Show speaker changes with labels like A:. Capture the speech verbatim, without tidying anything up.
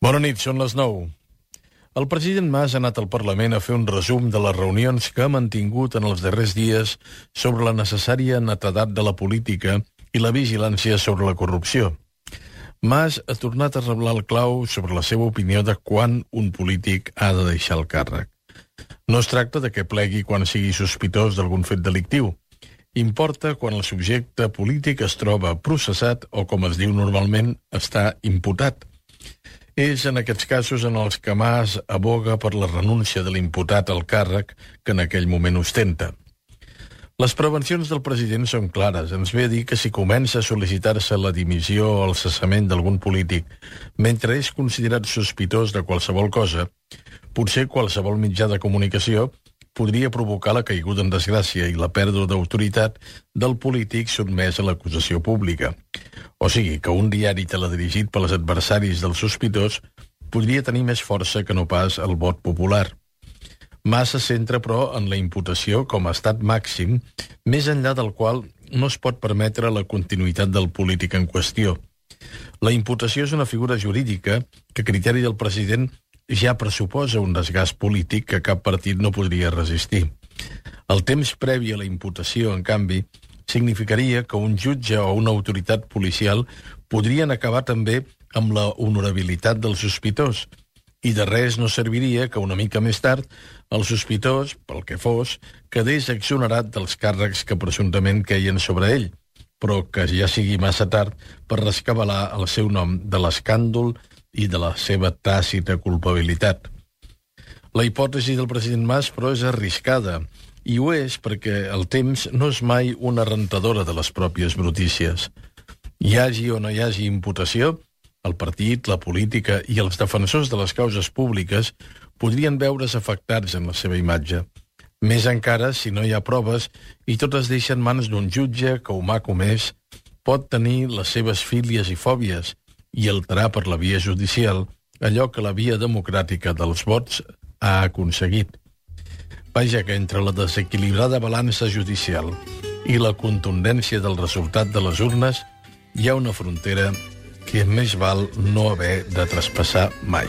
A: Bona nit, són les nou. El president Mas ha anat al Parlament a fer un resum de les reunions que ha mantingut en els darrers dies sobre la necessària netedat de la política i la vigilància sobre la corrupció. Mas ha tornat a reblar el clau sobre la seva opinió de quan un polític ha de deixar el càrrec. No es tracta de que plegui quan sigui sospitós d'algun fet delictiu. Importa quan el subjecte polític es troba processat o, com es diu normalment, està imputat. És en aquests casos en els que Mas aboga per la renúncia de l'imputat al càrrec que en aquell moment ostenta. Les prevencions del president són clares. Ens ve a dir que si comença a sol·licitar-se la dimissió o el cessament d'algun polític mentre és considerat sospitós de qualsevol cosa, potser qualsevol mitjà de comunicació podria provocar la caiguda en desgràcia i la pèrdua d'autoritat del polític sotmès a l'acusació pública. O sigui, que un diari teledirigit pels adversaris del sospitós podria tenir més força que no pas el vot popular. Mas se centra, però, en la imputació com a estat màxim, més enllà del qual no es pot permetre la continuïtat del polític en qüestió. La imputació és una figura jurídica que, a criteri del president, ja pressuposa un desgast polític que cap partit no podria resistir. El temps previ a la imputació, en canvi, significaria que un jutge o una autoritat policial podrien acabar també amb la honorabilitat del sospitós, i de res no serviria que una mica més tard el sospitós, pel que fos, quedés exonerat dels càrrecs que presumptament queien sobre ell, però que ja sigui massa tard per rescabalar el seu nom de l'escàndol i de la seva tàcita culpabilitat. La hipòtesi del president Mas, però, és arriscada, i ho és perquè el temps no és mai una rentadora de les pròpies brutícies. Hi hagi o no hi hagi imputació, el partit, la política i els defensors de les causes públiques podrien veure's afectats en la seva imatge. Més encara si no hi ha proves i tot es deixa en mans d'un jutge que ho m'ha comès, pot tenir les seves fílies i fòbies i alterar per la via judicial allò que la via democràtica dels vots ha aconseguit. Vaja que entre la desequilibrada balança judicial i la contundència del resultat de les urnes hi ha una frontera que més val no haver de traspassar mai.